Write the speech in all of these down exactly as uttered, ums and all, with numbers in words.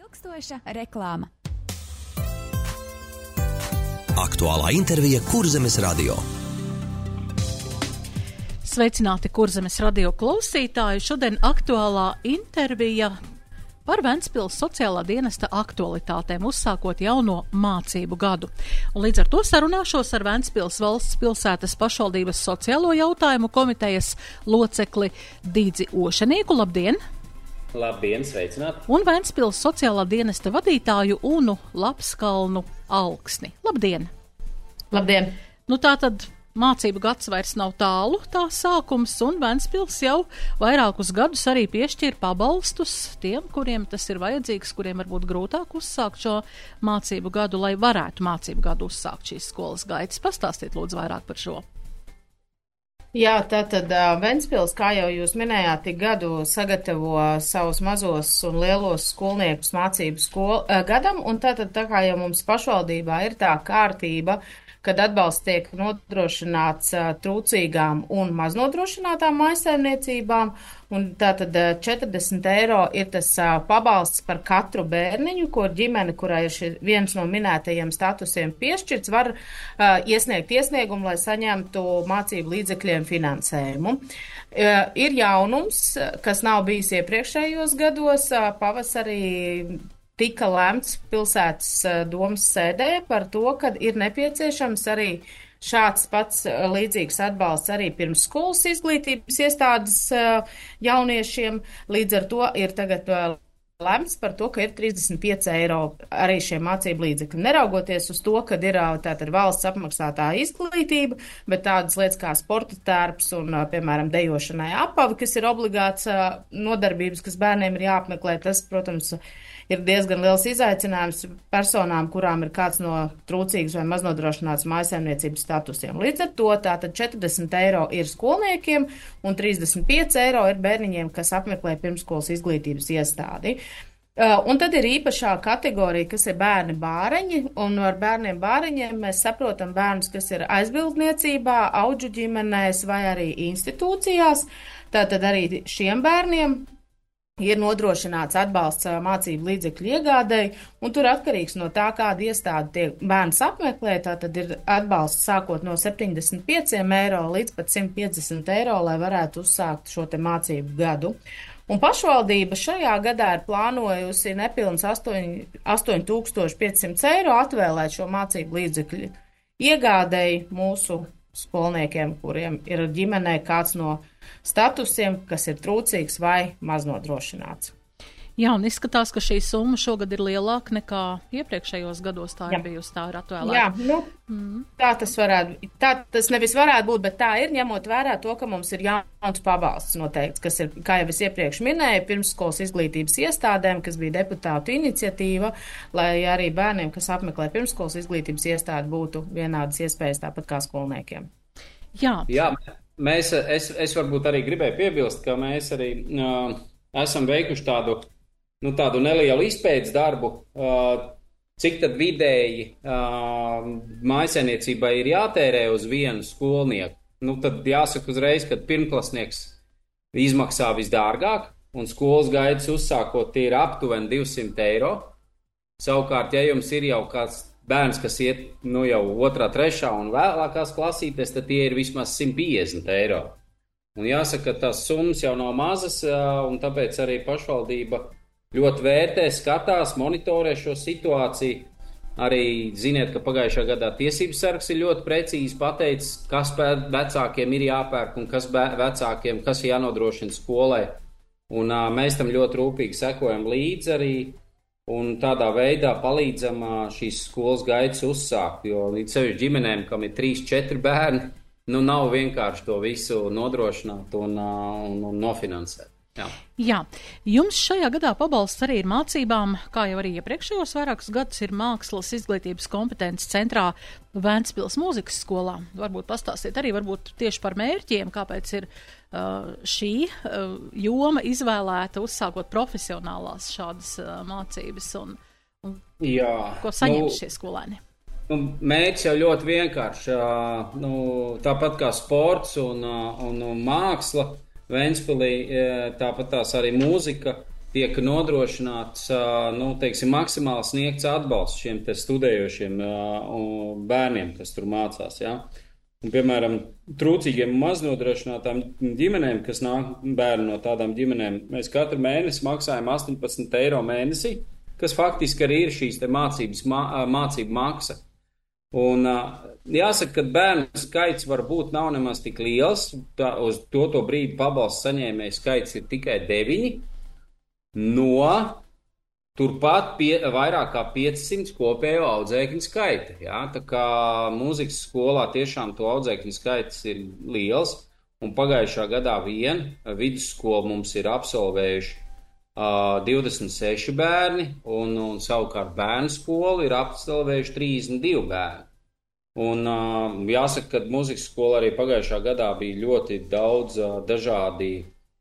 Ilgstoša reklāma. Aktuālā intervija Kurzemes radio. Sveicināti Kurzemes radio klausītāji. Šodien aktuālā intervija par Ventspils sociālā dienesta aktualitātēm, uzsākot jauno mācību gadu. Un līdz ar to sarunāšos ar Ventspils valsts pilsētas pašvaldības sociālo jautājumu komitejas locekli Dīdzi Ošenieku. Labdien! Labdien, sveicināti! Un Ventspils sociālā dienesta vadītāju Unu Lapskalnu Alksni. Labdien! Labdien! Nu tā tad mācību gads vairs nav tālu, tā sākums, un Ventspils jau vairākus gadus arī piešķir pabalstus tiem, kuriem tas ir vajadzīgs, kuriem varbūt grūtāk uzsākt šo mācību gadu, lai varētu mācību gadu uzsākt šīs skolas gaitas. Pastāstiet lūdzu vairāk par šo. Jā, tātad Ventspils, kā jau jūs minējāt, tik gadu sagatavo savus mazos un lielos skolniekus mācību skol, gadam, un tātad tā kā jau mums pašvaldībā ir tā kārtība, kad atbalsts tiek nodrošināts trūcīgām un maznodrošinātām mājsaimniecībām, un tātad četrdesmit eiro ir tas pabalsts par katru bērniņu, ko ģimene, kurai ir šī viens no minētajiem statusiem piešķirts, var uh, iesniegt iesniegumu, lai saņemtu mācību līdzekļiem finansējumu. Uh, ir jaunums, kas nav bijis iepriekšējos gados, uh, pavasarī tika lēmts pilsētas domas sēdē par to, ka ir nepieciešams arī šāds pats līdzīgs atbalsts arī pirmsskolas izglītības iestādes jauniešiem. Līdz ar to ir tagad lēmts par to, ka ir trīsdesmit pieci eiro arī šie mācību līdzekļi. Neraugoties uz to, ka ir tātad valsts apmaksātā izglītība, bet tādas lietas kā sporta tērps un, piemēram, dejošanai apavi, kas ir obligāts nodarbības, kas bērniem ir jāapmeklē, tas, protams, ir diezgan liels izaicinājums personām, kurām ir kāds no trūcīgas vai maznodrošināts mājsaimniecības statusiem. Līdz ar to tātad četrdesmit eiro ir skolniekiem un trīsdesmit pieci eiro ir bērniņiem, kas apmeklē pirmsskolas izglītības iestādi. Uh, un tad ir īpašā kategorija, kas ir bērni bāreņi, un ar bērniem bāreņiem mēs saprotam bērnus, kas ir aizbildniecībā, audžu ģimenēs vai arī institūcijās. Tātad arī šiem bērniem ir nodrošināts atbalsts mācību līdzekļu iegādēji, un tur atkarīgs no tā, kāda iestāde tiek bērns apmeklē, tātad ir atbalsts sākot no septiņdesmit pieciem eiro līdz pat simt piecdesmit eiro, lai varētu uzsākt šo te mācību gadu. Un pašvaldība šajā gadā ir plānojusi nepilns astoņi tūkstoši piecsimt eiro atvēlēt šo mācību līdzekļu iegādēji mūsu skolniekiem, kuriem ir ģimenē kāds no statusiem, kas ir trūcīgs vai maznodrošināts. Jā, un izskatās, ka šī summa šogad ir lielāka nekā iepriekšējos gados tā ir bijusi, tā ir atvēlēta. Jā, nu, mm. tā tas varētu, tā tas nevis varētu būt, bet tā ir, ņemot vērā to, ka mums ir jauns pabalsts noteikts, kas ir, kā jau es iepriekš minēju, pirmsskolas izglītības iestādēm, kas bija deputātu iniciatīva, lai arī bērniem, kas apmeklē pirmsskolas izglītības iestādi, būtu vienādas iespējas tāpat kā skolniekiem. Jā. Jā, mēs, es, es varbūt arī gribēju piebilst, ka mēs arī uh, esam veikuši tādu Nu, tādu nelielu izpētes darbu, uh, cik tad vidēji uh, mājsaimniecībai ir jātērē uz vienu skolnieku. Nu, tad jāsaka uzreiz, ka pirmklasnieks izmaksā visdārgāk, un skolas gaitas uzsākot tie ir aptuveni divsimt eiro. Savukārt, ja jums ir jau kāds bērns, kas iet nu, jau otrā, trešā un vēlākās klasītēs, tad tie ir vismaz simt piecdesmit eiro. Un jāsaka, ka tās summas jau nav mazas, uh, un tāpēc arī pašvaldība ļoti vērtē, skatās, monitorē šo situāciju. Arī ziniet, ka pagājušā gadā tiesības sargs ir ļoti precīzi pateicis, kas vecākiem ir jāpērk un kas vecākiem, kas jānodrošina skolai. Un uh, mēs tam ļoti rūpīgi sekojam līdzi arī un tādā veidā palīdzam uh, šīs skolas gaitas uzsākt, jo līdz sevišķi ģimenēm, kam ir trīs, četri bērni, nu nav vienkārši to visu nodrošināt un, uh, un, un nofinansēt. Jā. Jā, jums šajā gadā pabalsts arī ir mācībām, kā jau arī iepriekšējos vairākus gadus ir mākslas izglītības kompetences centrā Ventspils mūzikas skolā. Varbūt pastāstiet arī varbūt tieši par mērķiem, kāpēc ir uh, šī uh, joma izvēlēta uzsākot profesionālās šādas uh, mācības un, un Jā, ko saņem nu, šie skolēni. Nu, mērķis jau ļoti vienkārši. Uh, nu, tāpat kā sports un, uh, un, un māksla. Ventspilī tāpat tās arī mūzika tiek nodrošināts, nu, teiksim, maksimāli sniegts atbalsts šiem te studējošiem bērniem, kas tur mācās, jā. Un, piemēram, trūcīgiem un maznodrošinātām ģimenēm, kas nāk bērni no tādām ģimenēm, mēs katru mēnesi maksājam astoņpadsmit eiro mēnesī, kas faktiski arī ir šīs te mācības, mācību maksa. Un jāsaka, ka bērnu skaits varbūt nav nemaz tik liels, tā, uz to to brīdi pabalstu saņēmēju skaits ir tikai deviņi, no turpat pie, vairāk kā piecsimt kopējo audzēkņu skaita. Jā? Tā kā mūzikas skolā tiešām to audzēkņu skaits ir liels, un pagājušā gadā vien vidusskolu mums ir absolvējuši uh, divdesmit seši bērni, un, un savukārt bērnu skolu ir absolvējuši trīsdesmit divi bērni. Un uh, jāsaka, ka mūzikas skola arī pagājušā gadā bija ļoti daudz uh, dažādi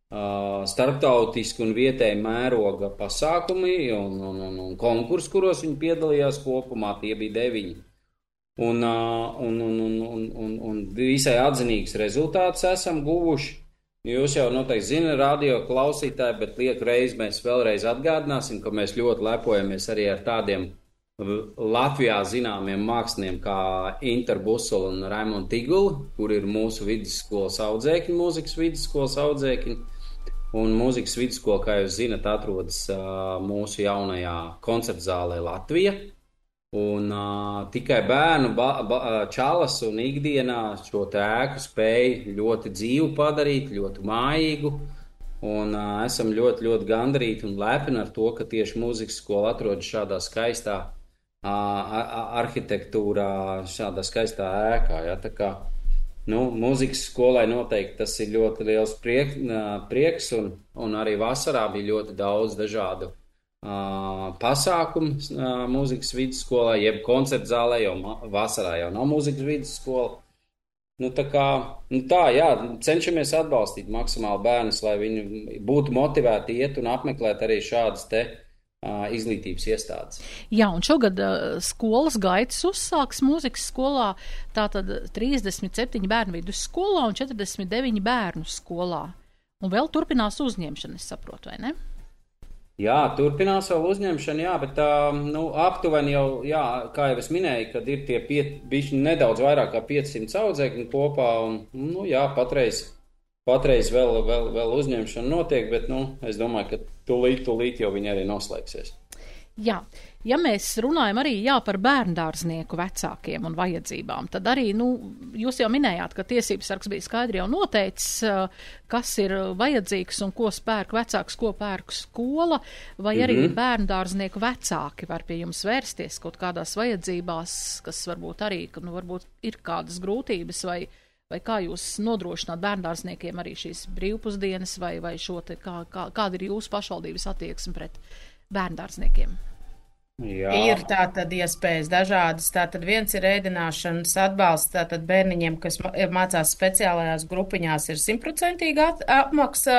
Uh, starptautiski un vietēji mēroga pasākumi un, un, un, un konkursi, kuros viņi piedalījās kopumā, tie bija deviņi. Un, uh, un, un, un, un, un, un visai atzinīgs rezultāts esam guvuši. Jūs jau noteikti zina, radio klausītāji, bet lieku reizi mēs vēlreiz atgādināsim, ka mēs ļoti lepojamies arī ar tādiem Latvijā zināmiem māksliniekiem kā Inter Busula un Raimond Tigula, kur ir mūsu vidusskolas audzēkņi, mūzikas vidusskolas audzēkņi. Un mūzikas vidusskola, kā jūs zinat, atrodas uh, mūsu jaunajā koncertzālē Latvija. Un uh, tikai bērnu ba, ba, čalas un ikdienā šo te ēku spēja ļoti dzīvu padarīt, ļoti mājīgu. Un uh, esam ļoti, ļoti gandarīti un lepni ar to, ka tieši mūzikas skola atrodas šādā skaistā uh, arhitektūrā, šādā skaistā ēkā. Ja? Tā kā Nu, mūzikas skolai noteikti tas ir ļoti liels priek, prieks, un, un arī vasarā bija ļoti daudz dažādu uh, pasākumu uh, mūzikas vidusskolā, jeb koncertu zālē, jo vasarā jau nav mūzikas vidusskola. Nu, tā kā, nu tā, jā, cenšamies atbalstīt maksimāli bērnus, lai viņi būtu motivēti iet un apmeklēt arī šādas te izglītības iestādes. Jā, un šogad uh, skolas gaitas uzsāks mūzikas skolā, tātad trīsdesmit septiņi bērnu vidusskolā un četrdesmit deviņi bērnu skolā. Un vēl turpinās uzņemšana, es saprotu, vai ne? Jā, turpinās vēl uzņemšana, jā, bet uh, nu, aptuveni jau, jā, kā jau es minēju, kad ir tie pie, bišķi nedaudz vairāk kā piecsimt audzēkņi kopā, un, nu, jā, patreiz Patreiz vēl, vēl, vēl uzņemšana notiek, bet nu, es domāju, ka tūlīt, tūlīt jau viņi arī noslēgsies. Jā, ja mēs runājam arī jā, par bērndārznieku vecākiem un vajadzībām, tad arī, nu, jūs jau minējāt, ka tiesības sargs bija skaidri jau noteicis, kas ir vajadzīgs un ko spērk vecāks, ko pērk skola, vai arī mm-hmm. bērndārznieku vecāki var pie jums vērsties kaut kādās vajadzībās, kas varbūt arī, nu, varbūt ir kādas grūtības vai Vai kā jūs nodrošināt bērndārzniekiem arī šīs brīvpusdienas, vai, vai šo te, kā, kā, kāda ir jūsu pašvaldības attieksme pret bērndārzniekiem? Jā. Ir tātad iespējas dažādas. Tātad viens ir ēdināšanas atbalsts, tātad bērniņiem, kas mācās speciālajās grupiņās, ir simtprocentīga apmaksa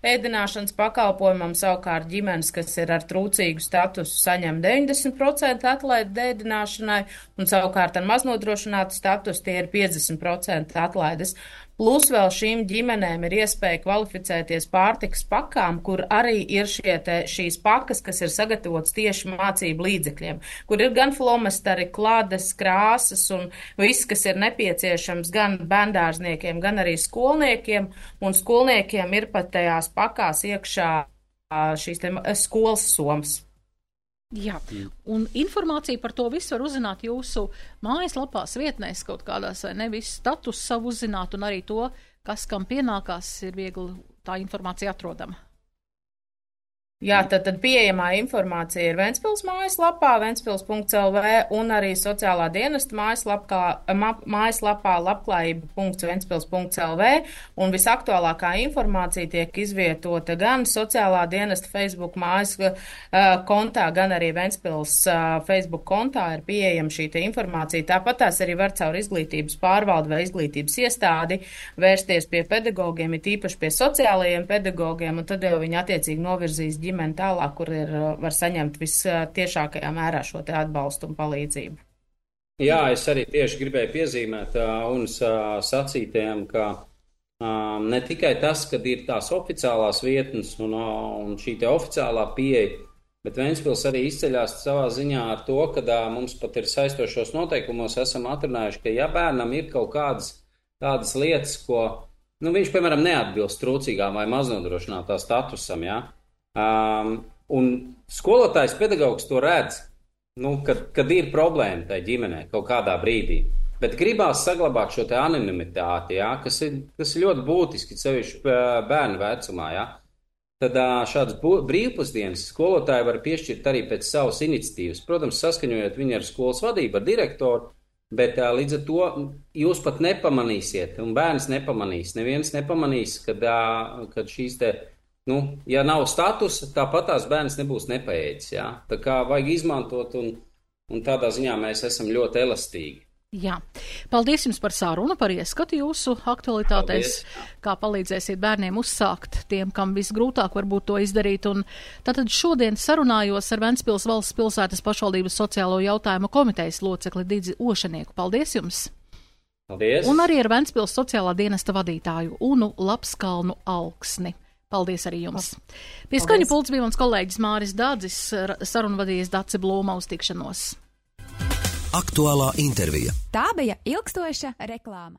ēdināšanas pakalpojumam, savukārt ģimenes, kas ir ar trūcīgu statusu, saņem deviņdesmit procenti atlaidi ēdināšanai, un savukārt ar maznodrošinātu statusu tie ir piecdesmit procenti atlaides. Plus vēl šīm ģimenēm ir iespēja kvalificēties pārtikas pakām, kur arī ir šie te, šīs pakas, kas ir sagatavotas tieši mācību līdzekļiem, kur ir gan flomasteri, klādes, krāsas un viss, kas ir nepieciešams gan bērndārzniekiem, gan arī skolniekiem, un skolniekiem ir pat tajās pakās iekšā šīs te skolas somas. Jā, un informāciju par to visu var uzzināt jūsu mājaslapās, vietnēs kaut kādās, vai ne, visu status savu uzzināt, un arī to, kas kam pienākās, ir viegli tā informācija atrodama. Jā, tad, tad pieejamā informācija ir Ventspils mājaslapā, ventspils punkts el vē, un arī sociālā dienesta mājaslapā, ma, mājaslapā labklājība punkts ventspils punkts el vē, un visaktuālākā informācija tiek izvietota gan sociālā dienesta Facebook mājas uh, kontā, gan arī Ventspils uh, Facebook kontā ir pieejama šī te informācija. Tāpat tās arī var caur izglītības pārvaldu vai izglītības iestādi vērsties pie pedagogiem, it īpaši pie sociālajiem pedagogiem, un tad jau viņi attiecīgi novirzīs ģimeni tālāk, kur ir, var saņemt vistiešākajā mērā šo te atbalstu un palīdzību. Jā, es arī tieši gribēju piezīmēt uh, un uh, sacītējiem, ka Um, ne tikai tas, kad ir tās oficiālās vietnes un, un šī te oficiālā pieeja, bet Ventspils arī izceļās savā ziņā ar to, ka uh, mums pat ir saistošos noteikumos esam atrunājuši, ka ja bērnam ir kaut kādas tādas lietas, ko, nu, viņš, piemēram, neatbilst trūcīgām vai maznodrošinātā statusam, ja, um, un skolotājs pedagogs to redz, nu, kad, kad ir problēma tai ģimenē kaut kādā brīdī. Bet gribās saglabāt šo te anonimitāti, ja, kas, ir, kas ir ļoti būtiski, sevišķi bērnu vecumā. Ja. Tad šādas brīvpusdienas skolotāji var piešķirt arī pēc savas iniciatīvas. Protams, saskaņojot viņu ar skolas vadību, ar direktoru, bet līdz ar to jūs pat nepamanīsiet, un bērns nepamanīs. Neviens nepamanīs, kad, kad šīs te, nu, ja nav statusa, tāpat tās bērns nebūs nepaēdis. Ja. Tā kā vajag izmantot, un, un tādā ziņā mēs esam ļoti elastīgi. Jā, paldies jums par sarunu, par ieskatu jūsu aktualitātēs, paldies. Kā palīdzēsiet bērniem uzsākt tiem, kam visgrūtāk varbūt to izdarīt. Un tātad šodien sarunājos ar Ventspils valsts pilsētas pašvaldības sociālo jautājumu komitejas locekli Didzi Ošanieku. Paldies jums! Paldies! Un arī ar Ventspils sociālā dienesta vadītāju Unu Lapskalnu Alksni. Paldies arī jums! Pie skaņu pults bija mans kolēģis Māris Dādzis, sarunvadījies Dace Blūma, uz tikšanos. Aktuālā intervija. Tā bija ilgstoša reklāma.